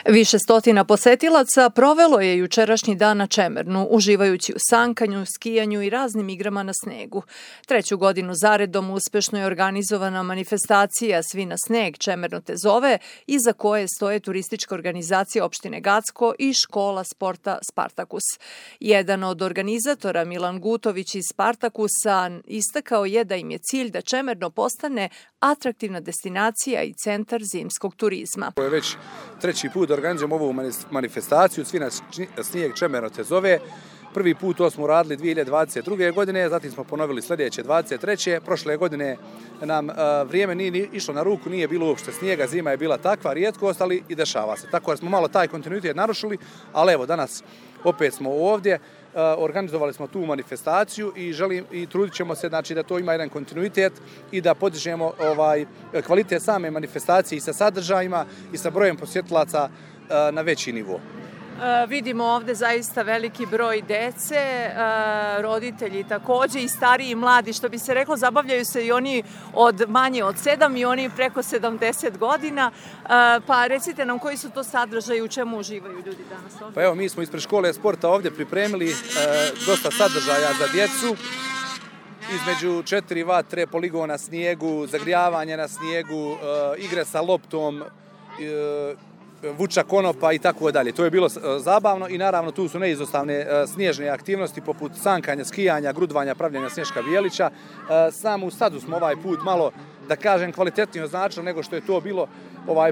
Više stotina posetilaca provelo je jučerašnji dan na Čemernu, uživajući u sankanju, skijanju i raznim igrama na snegu. Treću godinu zaredom uspešno je organizovana manifestacija Svi na sneg Čemerno te zove, iza koje stoje turistička organizacija opštine Gacko i škola sporta Spartakus. Jedan od organizatora, Milan Gutović iz Spartakusa, istakao je da im je cilj da Čemerno postane atraktivna destinacija i centar zimskog turizma. Ovo je već treći put da organizujemo ovu manifestaciju Svi na snijeg Čemerno te zove. Prvi put to smo uradili 2022. godine, zatim smo ponovili sljedeće 2023. Prošle godine nam vrijeme nije išlo na ruku, nije bilo uopšte snijega, zima je bila takva rijetkost, ali i dešava se. Tako da smo malo taj kontinuitet narušili, ali evo danas opet smo ovdje. Organizovali smo tu manifestaciju i trudit ćemo se da to ima jedan kontinuitet i da podižemo kvalitet same manifestacije i sa sadržajima i sa brojem posjetilaca na veći nivo. Vidimo ovde zaista veliki broj dece, roditelji takođe i stariji i mladi, što bi se reklo, zabavljaju se i oni manje od 7 i oni preko 70 godina. Pa recite nam koji su to sadržaji, u čemu uživaju ljudi danas ovde? Pa evo, mi smo ispred škole sporta ovdje pripremili dosta sadržaja za djecu. Između 4 vatre, poligon na snijegu, zagrijavanje na snijegu, igre sa loptom, vuča konopa i tako dalje. To je bilo zabavno i naravno tu su neizostavne snježne aktivnosti poput sankanja, skijanja, grudvanja, pravljenja snješka bijelića. Samu stazu smo ovaj put malo, da kažem, kvalitetnije označili nego što je to bilo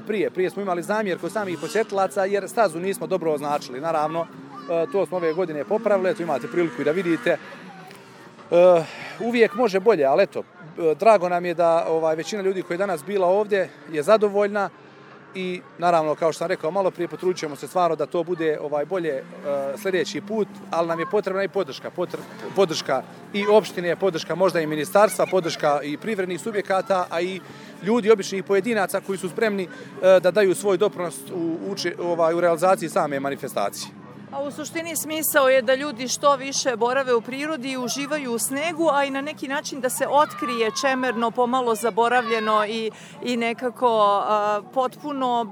prije. Prije smo imali zamjer kod samih posjetilaca jer stazu nismo dobro označili. Naravno, to smo ove godine popravili, eto imate priliku i da vidite. Uvijek može bolje, ali eto, drago nam je da većina ljudi koja je danas bila ovdje je zadovoljna. I naravno, kao što sam rekao malo prije, potrudit ćemo se stvarno da to bude bolje sljedeći put, ali nam je potrebna i podrška. Podrška i opštine, podrška možda i ministarstva, podrška i privrednih subjekata, a i ljudi, običnih pojedinaca koji su spremni da daju svoj doprinos u realizaciji same manifestacije. A u suštini smisao je da ljudi što više borave u prirodi i uživaju u snegu, a i na neki način da se otkrije Čemerno pomalo zaboravljeno i nekako potpuno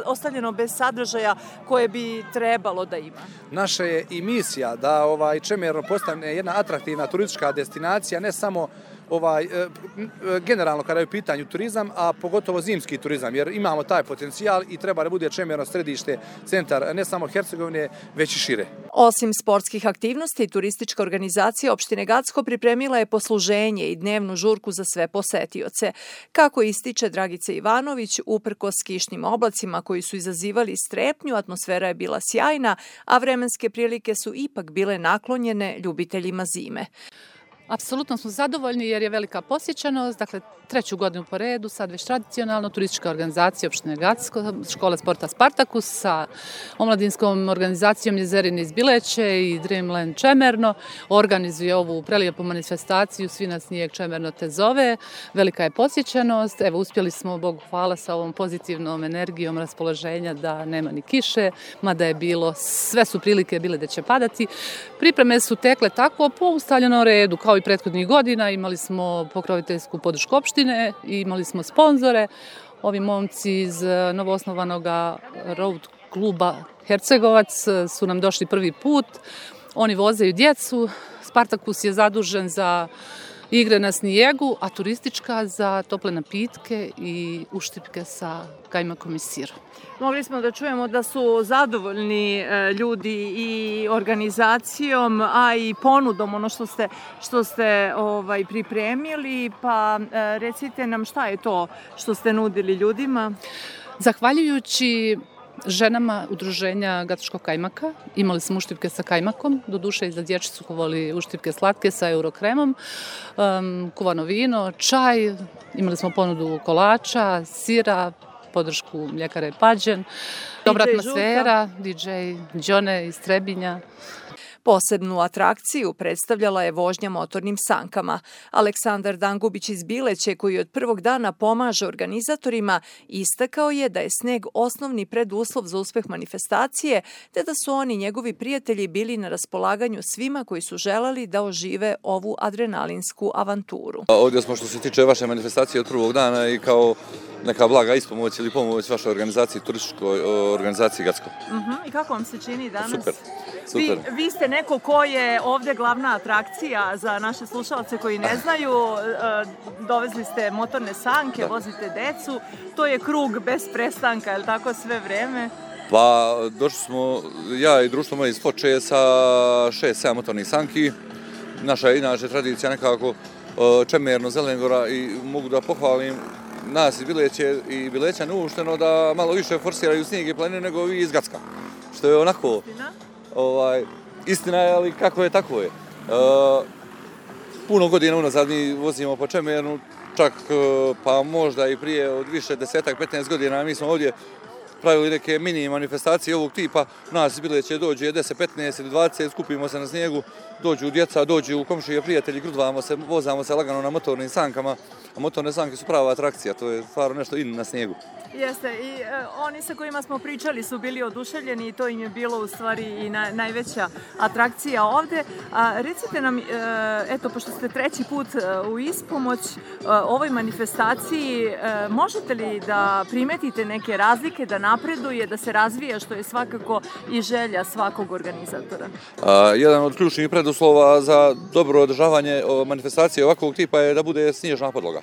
ostavljeno bez sadržaja koje bi trebalo da ima. Naša je i misija da Čemerno postane jedna atraktivna turistička destinacija, ne samo generalno kada je u pitanju turizam, a pogotovo zimski turizam, jer imamo taj potencijal i treba da bude Čemerno središte, centar ne samo Hercegovine, već i šire. Osim sportskih aktivnosti, turistička organizacija opštine Gacko pripremila je posluženje i dnevnu žurku za sve posetioce. Kako ističe Dragica Ivanović, uprkos kišnim oblacima koji su izazivali strepnju, atmosfera je bila sjajna, a vremenske prilike su ipak bile naklonjene ljubiteljima zime. Apsolutno smo zadovoljni jer je velika posjećenost, dakle treću godinu po redu, sad već tradicionalno, turistička organizacija opštine Gacko, škola sporta Spartakus sa omladinskom organizacijom Jezerine iz Bileće i Dreamland Čemerno organizuje ovu prelijepu manifestaciju Svi na snijeg Čemerno te zove. Velika je posjećenost, evo uspjeli smo, Bogu hvala, sa ovom pozitivnom energijom raspoloženja da nema ni kiše, mada je bilo, sve su prilike bile da će padati. Pripreme su tekle tako po ustaljenom redu, kao i prethodnih godina, imali smo pokroviteljsku podršku opštine, imali smo sponzore. Ovi momci iz novoosnovanog road kluba Hercegovac su nam došli prvi put. Oni vozaju djecu. Spartakus je zadužen za igre na snijegu, a turistička za tople napitke i uštipke sa kajmakom i sirom. Mogli smo da čujemo da su zadovoljni ljudi i organizacijom, a i ponudom, ono što ste pripremili, pa recite nam šta je to što ste nudili ljudima? Zahvaljujući ženama udruženja Gackoškog kajmaka, imali smo uštipke sa kajmakom, doduše i za dječicu kuvali uštipke slatke sa eurokremom, kuvano vino, čaj, imali smo ponudu kolača, sira, podršku mljekare Pađen, dobra atmosfera, DJ Đone iz Trebinja. Posebnu atrakciju predstavljala je vožnja motornim sankama. Aleksandar Dangubić iz Bileće, koji od prvog dana pomaže organizatorima, istakao je da je sneg osnovni preduslov za uspeh manifestacije, te da su oni njegovi prijatelji bili na raspolaganju svima koji su želeli da ožive ovu adrenalinsku avanturu. Ovdje smo što se tiče vaše manifestacije od prvog dana i kao neka blaga ispomoć ili pomoć vašoj organizaciji, turističkoj organizaciji Gacko. I kako vam se čini danas? Super. Vi ste neko ko je ovdje glavna atrakcija za naše slušalce koji ne znaju. Dovezli ste motorne sanke, vozite decu. To je krug bez prestanka, je li tako sve vreme? Pa došli smo, ja i društvo moje iz Foče sa 6-7 motornih sanki. Naša je inače tradicija nekako Čemerno, Zelengora i mogu da pohvalim nas iz Bileće i Bileća neušteno da malo više forsiraju snijeg i planinu nego vi iz Gacka. Što je onako, istina je, ali kako je, tako je. Puno godina unazad mi vozimo po Čemernu, čak pa možda i prije od više 10-15 godina mi smo ovdje pravili neke mini manifestacije ovog tipa. Nas iz Bileće dođe 10, 15 ili 20, skupimo se na snijegu, dođu djeca, dođu komšije, prijatelji, grudvamo se, vozamo se lagano na motornim sankama, a motorne sanke su prava atrakcija, to je stvarno nešto in na snijegu. Jeste, i oni sa kojima smo pričali su bili oduševljeni i to im je bilo u stvari i najveća atrakcija ovde. Recite nam, eto, pošto ste treći put u ispomoć ovoj manifestaciji, možete li da primetite neke razlike, da napreduje, da se razvija, što je svakako i želja svakog organizatora? Jedan od ključnih preduslova za dobro održavanje manifestacije ovakvog tipa je da bude snježna podloga.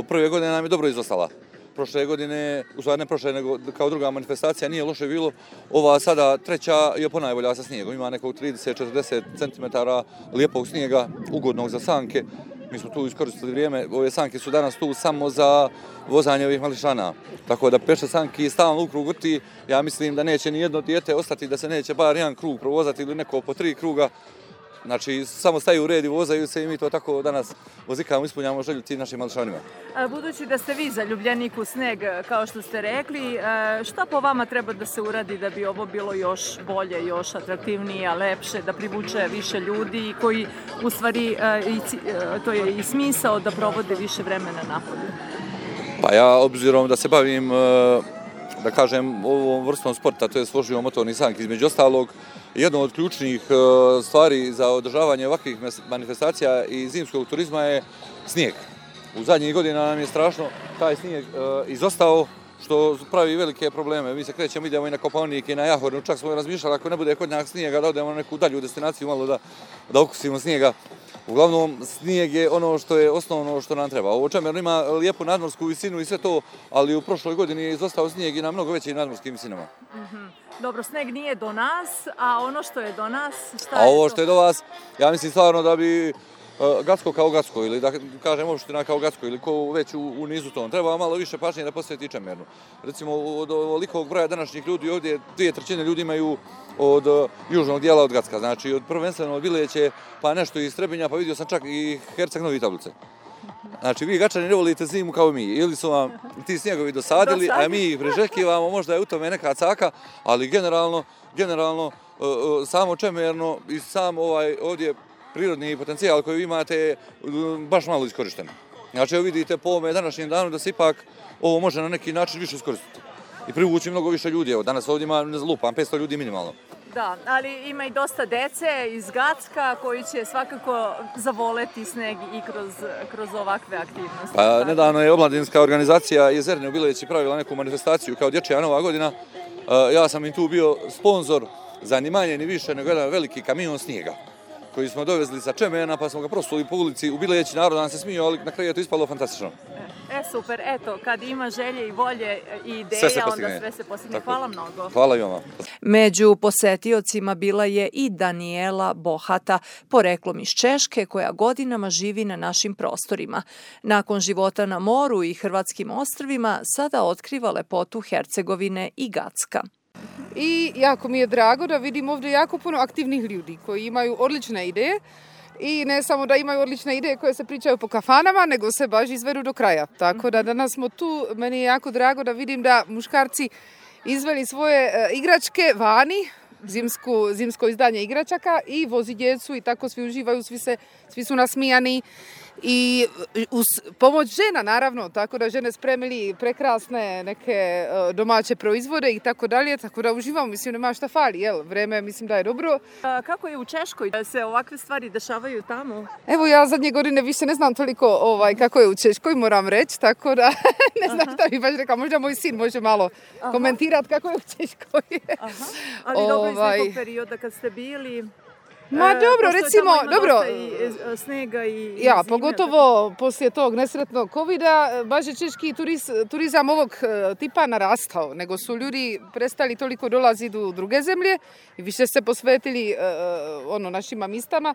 Prve godine nam je dobro izostala. Prošle godine, u stvari ne prošle, nego kao druga manifestacija nije loše bilo. Ova sada treća je ponajbolja sa snijegom. Ima nekog 30-40 cm lijepog snijega, ugodnog za sanke. Mi smo tu iskoristili vrijeme. Ove sanke su danas tu samo za vozanje ovih mališana. Tako da peše sanki stalno u krug vrti. Ja mislim da neće ni jedno dijete ostati da se neće bar jedan krug provozati ili neko po 3 kruga. Znači, samo staju u red i vozaju se i mi to tako danas vozikamo, ispunjamo želju tim našim mališanima. Budući da ste vi zaljubljenik u sneg, kao što ste rekli, šta po vama treba da se uradi da bi ovo bilo još bolje, još atraktivnije, lepše, da privuče više ljudi koji u stvari, to je i smisao da provode više vremena napolju? Pa ja, obzirom da se bavim, da kažem, ovom vrstom sporta, to je vožnjom motornih sanki, između ostalog, jedno od ključnih stvari za održavanje ovakvih manifestacija i zimskog turizma je snijeg. U zadnjih godina nam je strašno taj snijeg izostao, što pravi velike probleme. Mi se krećemo, idemo i na Kopaonik i na Jahornu, čak smo razmišljali ako ne bude kod nas snijega da odemo na neku dalju destinaciju malo da okusimo snijega. Uglavnom, snijeg je ono što je osnovno što nam treba. Ovo Čemerno ima lijepu nadmorsku visinu i sve to, ali u prošloj godini je izostao snijeg i na mnogo većim nadmorskim visinama. Dobro, sneg nije do nas, a ono što je do nas, šta je to? A ovo to? što je do vas, ja mislim stvarno da bi Gacko kao Gacko ili da kažem opština kao Gacko ili ko već u nizu tom. Treba malo više pažnje da posveti Čemernu. Recimo, od ovolikog broja današnjih ljudi ovdje 2/3 ljudi imaju od južnog dijela od Gacka. Znači, od prvenstveno od Bileće, pa nešto iz Trebinja, pa vidio sam čak i Herceg Novi Tablice. Znači, vi Gačani ne volite zimu kao mi. Ili su vam ti snjegovi dosadili, a mi ih priželjkivamo, možda je u tome neka caka, ali generalno samo Čemerno i sam ovaj ovdje prirodni potencijal koji vi imate je baš malo iskorišten. Znači, evo vidite po ovome današnjem danu da se ipak ovo može na neki način više iskoristiti i privući mnogo više ljudi. Evo, danas ovdje ima, ne lupam, 500 ljudi minimalno. Da, ali ima i dosta dece iz Gacka koji će svakako zavoleti sneg i kroz ovakve aktivnosti. Pa, nedavno je omladinska organizacija Jezerne u Bileći pravila neku manifestaciju kao Dječja Nova godina. Ja sam im tu bio sponzor za ni manje ni više nego jedan veliki kamion snijega koji smo dovezli sa Čemerna, pa smo ga prosuli po ulici u Bileći, narod nam se smio, ali na kraju je to ispalo fantastično. Super, eto, kad ima želje i volje i ideja, onda sve se postigne. Hvala mnogo. Hvala i vama. Među posetiocima bila je i Daniela Bohata, poreklom iz Češke, koja godinama živi na našim prostorima. Nakon života na moru i hrvatskim ostrvima, sada otkriva lepotu Hercegovine i Gacka. I jako mi je drago da vidim ovdje jako puno aktivnih ljudi koji imaju odlične ideje i ne samo da imaju odlične ideje koje se pričaju po kafanama, nego se baš izvedu do kraja. Tako da danas smo tu, meni je jako drago da vidim da muškarci izveli svoje igračke vani, zimsko izdanje igračaka i vozi djecu i tako svi uživaju, svi su nasmijani. I uz pomoć žena naravno, tako da žene spremili prekrasne neke domaće proizvode i tako dalje, tako da uživamo, mislim nema šta fali, vreme mislim da je dobro. Kako je u Češkoj da se ovakve stvari dešavaju tamo? Evo ja zadnje godine više ne znam toliko kako je u Češkoj, moram reći, tako da ne znam šta bi baš rekla, možda moj sin može malo komentirati kako je u Češkoj. Ali dobro iz nekog perioda kad ste bili... Ma dobro, recimo, dobro. I snega i ja, zime, pogotovo poslije tog nesretnog covida, baš je češki turizam ovog tipa narastao, nego su ljudi prestali toliko dolaziti u druge zemlje i više se posvetili našima mistama.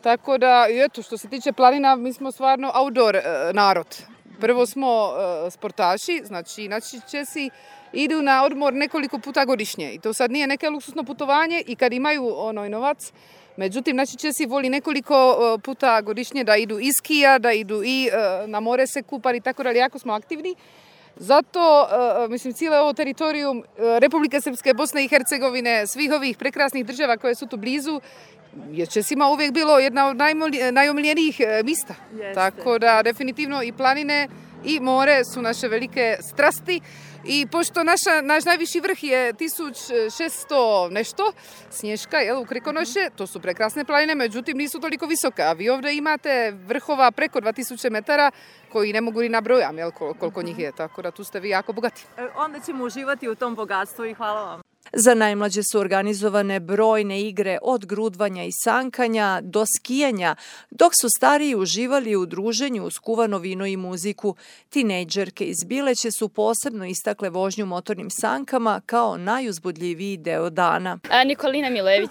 Tako da, eto, što se tiče planina, mi smo stvarno outdoor narod. Prvo smo sportaši, znači naši Česi idu na odmor nekoliko puta godišnje i to sad nije neke luksuzno putovanje i kad imaju novac. Međutim, naši Česi voli nekoliko puta godišnje da idu i skija, da idu i na more se kupati i tako dalje, jako smo aktivni. Zato, cijelo ovo teritorijum Republike Srpske, Bosne i Hercegovine, svih ovih prekrasnih država koje su tu blizu, je Česima uvijek bilo jedna od najomiljenijih mista. Jeste. Tako da, definitivno i planine i more su naše velike strasti. I pošto naš najviši vrh je 1600 nešto snješka u Krikonoše, to su prekrasne planine, međutim nisu toliko visoke, a vi ovdje imate vrhova preko 2000 metara koji ne mogu ni nabrojam koliko njih je, tako da tu ste vi jako bogati. Onda ćemo uživati u tom bogatstvu i hvala vam. Za najmlađe su organizovane brojne igre od grudvanja i sankanja do skijanja, dok su stariji uživali u druženju uz kuvano vino i muziku. Tinejdžerke iz Bileće su posebno istakle vožnju motornim sankama kao najuzbudljiviji deo dana. Nikolina Milević.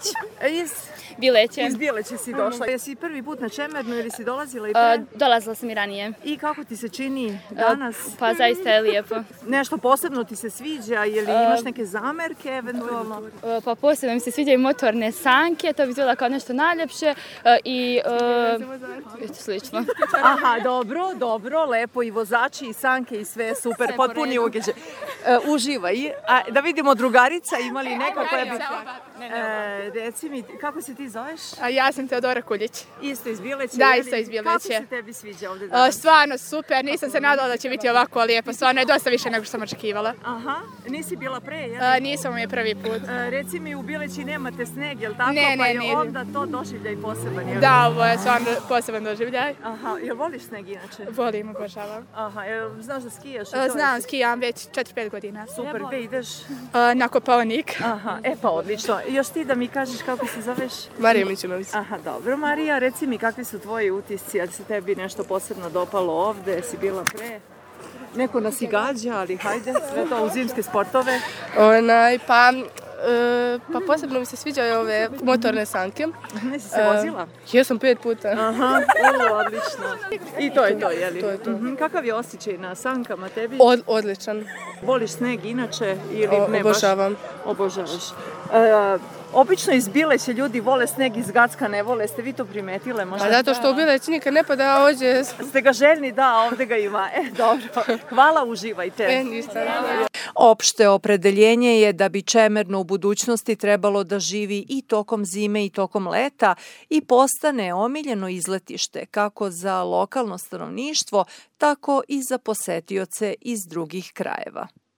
Iz Bileće. Iz Bileće si došla. Jesi prvi put na Čemernu ili si dolazila i pre? Dolazila sam i ranije. I kako ti se čini danas? Pa zaista je lijepo. Nešto posebno ti se sviđa ili imaš neke zamerke eventualno? Pa posebno mi se sviđaju motorne sanke, to bi izgleda kao nešto najljepše i slično. Aha, dobro, lepo i vozači i sanke i sve super, potpuni ugeđaj. Uživaj. A da vidimo drugarica, ima li neka koja bi... Reci mi, kako se ti zoveš? Ja sam Teodora Kuljić. Isto iz Bileće? Da, isto iz Bileće. Kako se tebi sviđa ovdje danas? Stvarno super, nisam se nadala da će biti ovako lijepo, stvarno je dosta više nego što sam očekivala. Aha, nisi bila pre, jel? Nisam, ovo mi je prvi put. Reci mi, u Bileći nemate sneg, jel tako? Ne, pa je onda to doživljaj poseban, jel? Da, ovo je stvarno poseban doživljaj. Aha, jel voliš sneg inače? Volim, obožavam. Aha, znaš da skijaš? Znam, skijam već 4-5 godina. Super, gdje ideš? Na Kopaonik. Aha, pa odlično. Još ti da mi kažeš kako se zoveš? Marija Mićunović. Aha, dobro Marija, reci mi kakvi su tvoji utisci, ali se tebi nešto posebno dopalo ovde, si bila neko nas i gađa, ali hajde, sve to u zimske sportove. Pa posebno mi se sviđaju ove motorne sanke. Nisi se vozila? Jesam 5 puta. Aha, odlično. I to je to, jeli? To je to. Kakav je osjećaj na sankama tebi? Odličan. Voliš sneg inače ili ne baš? Obožavam. Obožavaš. Obično iz Bileća ljudi vole sneg, iz Gacka ne vole. Ste vi to primetile možda? A zato što u Bileći nikad ne pada, a ovdje... Ste ga željni? Da, ovdje ga ima. Dobro. Hvala, uživajte. Ništa. Opšte opredeljenje je da bi Čemerno u budućnosti trebalo da živi i tokom zime i tokom leta i postane omiljeno izletište kako za lokalno stanovništvo, tako i za posetioce iz drugih krajeva.